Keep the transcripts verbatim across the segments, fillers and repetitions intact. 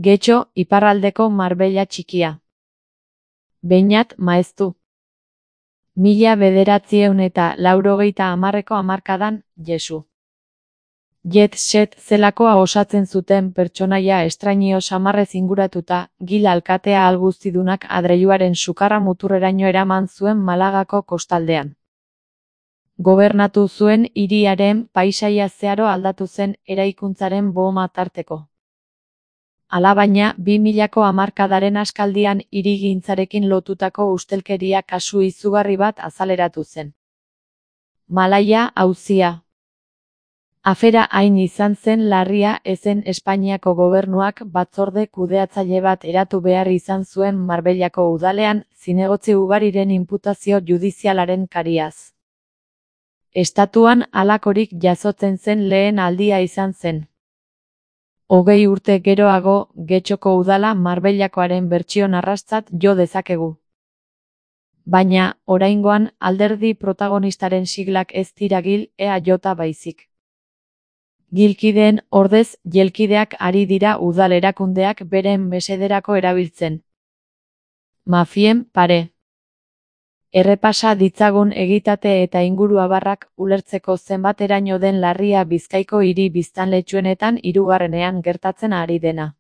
Getxo, iparraldeko Marbella txikia. Beñat Maeztu. Mila bederatziehun eta laurogeita hamarreko hamarkadan, Jesu. Jet set zelakoa osatzen zuten pertsonaia estrainio samarrez inguratuta, Gil alkatea alguztidunak adreiluaren sukarra muturreraino eraman zuen Malagako kostaldean. Gobernatu zuen hiriaren paisaia zeharo aldatu zen eraikuntzaren booma tarteko. Alabaina, bi milako hamarkadaren askaldian hirigintzarekin lotutako ustelkeria kasu izugarri bat azaleratu zen. Malaia auzia. Afera hain izan zen larria ezen Espainiako gobernuak batzorde kudeatzaile bat eratu behar izan zuen Marbellako udalean, zinegotzi ugariren inputazio judizialaren kariaz. Estatuan halakorik jasotzen zen lehen aldia izan zen. Hogei urte geroago, Getxoko udala Marbellakoaren bertsio narrastzat jo dezakegu. Baina, oraingoan, alderdi protagonistaren siglak ez dira Gil E A J baizik. Gilkideen ordez, jelkideak ari dira udal erakundeak beren mesederako erabiltzen. Mafien pare. Errepasa ditzagun egitate eta inguruabarrak ulertzeko zenbateraino den larria Bizkaiko hiri biztanletxuenetan hirugarrenean gertatzen ari dena.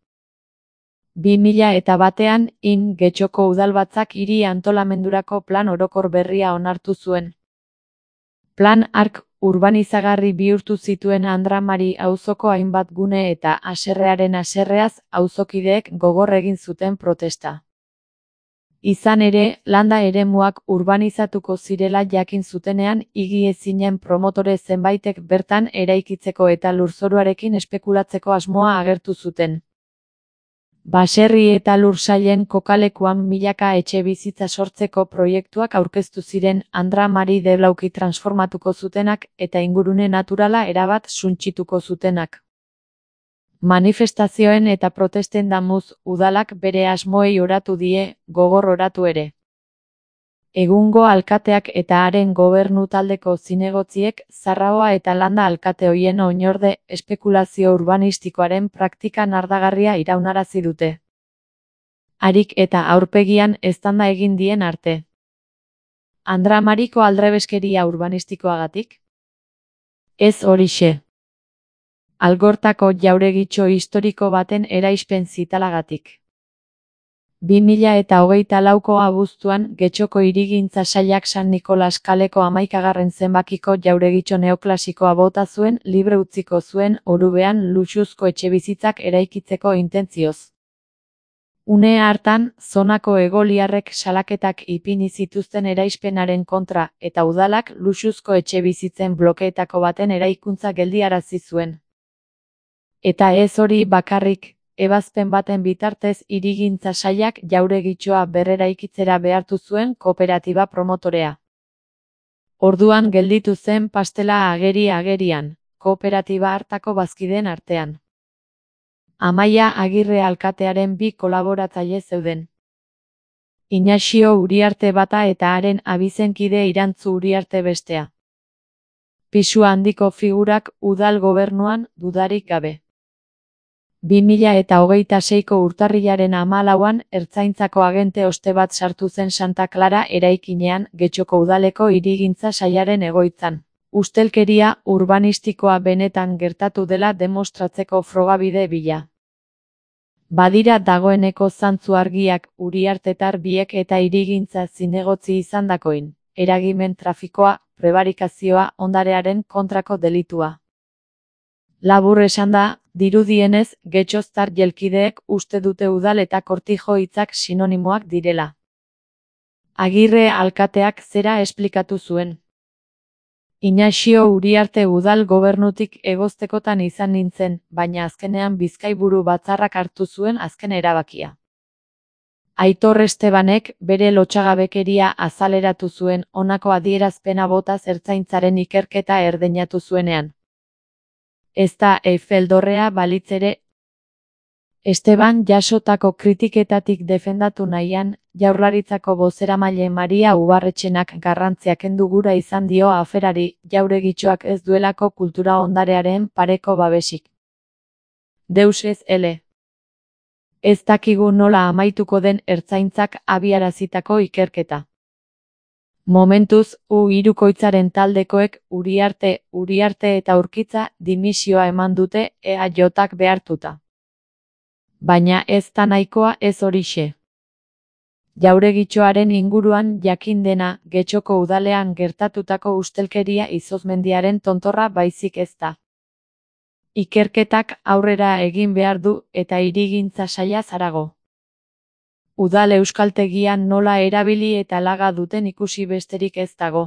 Bi mila eta batean, in Getxoko udalbatzak hiri antolamendurako plan orokor berria onartu zuen. Plan hark urbanizagarri bihurtu zituen Andramari auzoko hainbat gune eta haserrearen haserreaz auzokideek gogor egin zuten protesta. Izan ere, landa eremuak urbanizatuko zirela jakin zutenean, higiezinen promotore zenbaitek bertan eraikitzeko eta lurzoruarekin espekulatzeko asmoa agertu zuten. Baserri eta lursailen kokalekuan milaka etxebizitza sortzeko proiektuak aurkeztu ziren Andramari deblauki transformatuko zutenak eta ingurune naturala erabat suntsituko zutenak. Manifestazioen eta protesten damuz, udalak bere asmoei oratu die, gogor oratu ere. Egungo alkateak eta haren gobernu taldeko zinegotziek Zarraua eta Landa alkate hoien oinorde espekulazio urbanistikoaren praktika nardagarria iraunarazi dute. Harik eta aurpegian eztanda egin dien arte. Andramariko aldrebeskeria urbanistikoagatik? Ez horixe. Algortako jauregitxo historiko baten eraispen zitalagatik. Bi mila eta hogeita lauko abuztuan, Getxoko hirigintza sailak San Nikolas kaleko hamaikagarren zenbakiko jauregitxo neoklasikoa bota zuen, libre utziko zuen Orubean luxuzko etxebizitzak eraikitzeko intentzioz. Une hartan, zonako egoliarrek salaketak ipini zituzten eraispenaren kontra, eta udalak luxuzko etxebizitzen blokeetako baten eraikuntza geldiarazi zuen. Eta ez hori bakarrik, ebazpen baten bitartez hirigintza sailak jauregitxoa berreraikitzera behartu zuen kooperatiba promotorea. Orduan gelditu zen pastela ageri-agerian, kooperatiba hartako bazkideen artean. Amaia Agirre alkatearen bi kolaboratzaile zeuden. Inaxio Uriarte bata eta haren abizenkide Irantzu Uriarte bestea. Pisu handiko figurak udal gobernuan dudarik gabe. Bi mila eta hogeita seiko urtarrilaren hamalauan ertzaintzako agente oste bat sartu zen Santa Clara eraikinean Getxoko udaleko hirigintza sailaren egoitzan. Ustelkeria urbanistikoa benetan gertatu dela demostratzeko frogabide bila. Badira dagoeneko zantzu argiak Uriartetar biek eta hirigintza zinegotzi izandakoin, eragimen trafikoa, prebarikazioa, ondarearen kontrako delitua. Labur esanda, dirudienez, Getxoztar jelkideek uste dute udal eta kortijo hitzak sinonimoak direla. Agirre alkateak zera esplikatu zuen. Inaxio Uriarte udal gobernutik egoztekotan izan nintzen, baina azkenean Bizkaiburu batzarrak hartu zuen azken erabakia. Aitor Estebanek bere lotxagabekeria azaleratu zuen honako adierazpena botaz ertzaintzaren ikerketa erdeinatu zuenean. Ez da Eiffel dorrea balitz ere. Esteban jasotako kritiketatik defendatu nahian, Jaurlaritzako bozeramaile Maria Ubarretxenak garrantzia kendu gura izan dio aferari, jauregitxoak ez duelako kultura ondarearen pareko babesik. Deus ez ele. Ez dakigu nola amaituko den ertzaintzak abiarazitako ikerketa. Momentuz, U hirukoitzaren taldekoek Uriarte, Uriarte eta Urkitza dimisioa eman dute E A Jk behartuta. Baina ez da nahikoa ez horixe. Jauregitxoaren inguruan jakin dena Getxoko udalean gertatutako ustelkeria izozmendiaren tontorra baizik ez da. Ikerketak aurrera egin behar du eta hirigintza sailaz harago. Udal euskaltegian nola erabili eta laga duten ikusi besterik ez dago.